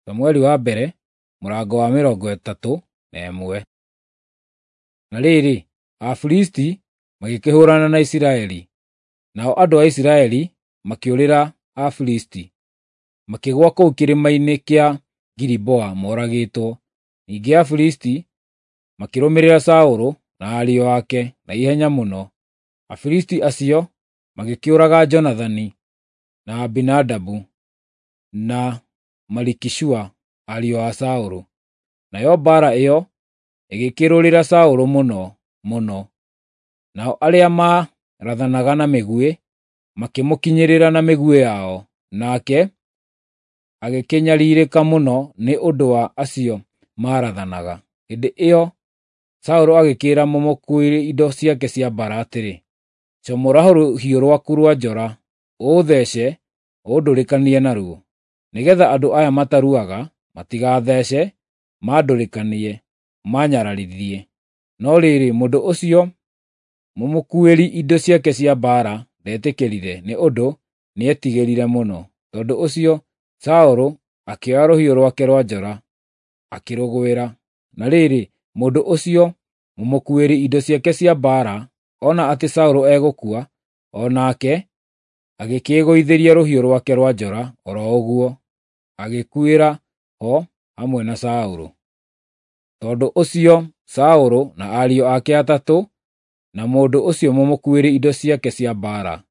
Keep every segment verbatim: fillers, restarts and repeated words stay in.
Samueli wa mbere mũrango wa mĩrongo ĩtatũ na ĩmwe. Na rĩrĩ, Afilisti magĩkĩhũũrana na Isiraeli, nao andũ a Isiraeli makĩũrĩra Afilisti, makĩgũa kũu kĩrĩma-inĩ kĩa Giliboa moragĩtwo. Ningĩ Afilisti makĩrũmĩrĩra Saũlũ na ariũ ake na ihenya mũno. Afilisti acio magĩkĩũraga Jonathani, na Abinadabu, na Malikishua, ariũ a Saũlũ. Nayo mbaara ĩyo ĩgĩkĩrũrĩra Saũlũ mũno mũno, nao arĩa maarathanaga na mĩguĩ makĩmũkinyĩrĩra na mĩguĩ yao, nake agĩkĩnyariirĩka mũno nĩ ũndũ wa acio maarathanaga. Hĩndĩ ĩyo Saũlũ agĩkĩĩra mũmũkuuĩri indo ciake cia mbaara atĩrĩ, “Comora rũhiũ rwaku rwa njora, ũũthece ũndũrĩkanie naruo, nĩgeetha andũ aya mataruaga matigathece mandũrĩkanie, maanyararithie.” No rĩrĩ, mũndũ ũcio mũmũkuuĩri indo ciake cia mbaara ndetĩkĩrire, nĩ ũndũ nĩetigĩrire mũno. Tondũ ũcio Saũlũ akĩoya rũhiũ rwake rwa njora, akĩrũgwĩra. Na rĩrĩ, mũndũ ũcio mũmũkuuĩri indo ciake cia mbaara ona atĩ Saũlũ egũkua, o nake agĩkĩĩgũithĩria rũhiũ rwake rwa njora o ro ũguo, agĩkuĩra ho hamwe na Saũlũ. Tondũ ũcio Saũlũ na ariũ ake atatũ, na mũndũ ũcio mũmũkuuĩri indo ciake cia mbaara,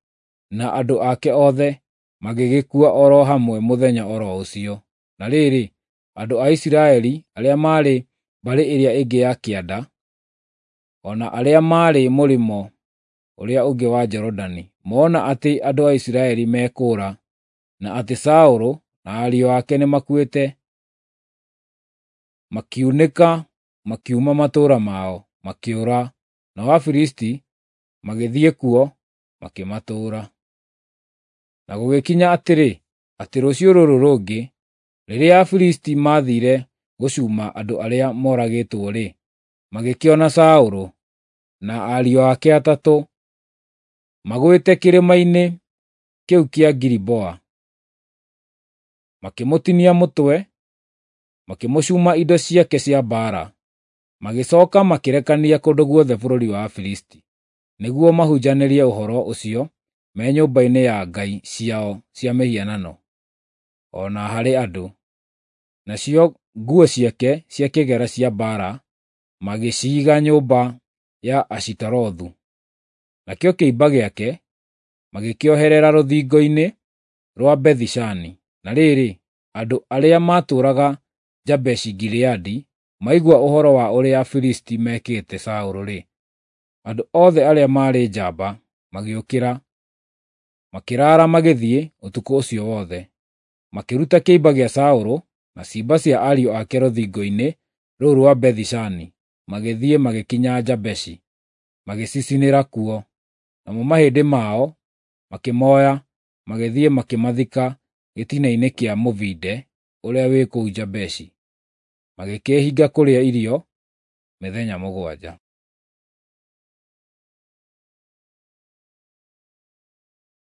na andũ ake othe, magĩgĩkua o ro hamwe mũthenya o ro ũcio. Na rĩrĩ, andũ a Isiraeli arĩa maarĩ mbarĩ ĩrĩa ĩngĩ ya kĩanda, o na arĩa maarĩ mũrĩmo ũrĩa ũngĩ wa Jorodani, mona atĩ andũ a Isiraeli mekũũra, na atĩ Saũlũ na ariũ ake nĩmakuĩte, makiunĩka makiuma matũũra mao, makĩũra, nao Afilisti magĩthiĩ kuo makĩmatũũra. Na gũgĩkinya atĩrĩ, atĩ rũciũ rũrũ rũngĩ, rĩrĩa Afilisti maathiire gũcuuma andũ arĩa moragĩtwo-rĩ, magĩkĩona Saũlũ na ariũ ake atatũ magũĩte kĩrĩma-inĩ kĩu kĩa Giliboa. Makĩmũtinia mũtwe, makĩmũcuuma indo ciake cia mbaara, magĩcooka makĩrekania kũndũ guothe bũrũri wa Afilisti, nĩguo mahunjanĩrie ũhoro ũcio me nyũmba-inĩ ya ngai ciao cia mĩhianano, o na harĩ andũ. Nacio nguo ciake cia kĩgera cia mbaara magĩciiga nyũmba ya Ashitarothu. Nakĩo kĩimba gĩake magĩkĩoherera rũthingo-inĩ rwa Bethi-Shani. Na rĩrĩ, andũ arĩa maatũũraga Jabeshi-Gileadi maigua ũhoro wa ũrĩa Afilisti meekĩte Saũlũ-rĩ, andũ othe arĩa maarĩ njamba magĩũkĩra, makĩraara magĩthiĩ ũtukũ ũcio wothe. Makĩruta kĩimba gĩa Saũlũ na ciimba cia ariũ ake rũthingo-inĩ rũu rwa Bethi-Shani, magĩthiĩ magĩkinya Jabeshi, magĩcicinĩra kuo. Namo mahĩndĩ mao makĩmoya, magĩthiĩ makĩmathika gĩtina-inĩ kĩa mũbinde ũrĩa wĩ kũu Jabeshi. Magĩkĩĩhinga kũrĩa irio mĩthenya mũgwanja.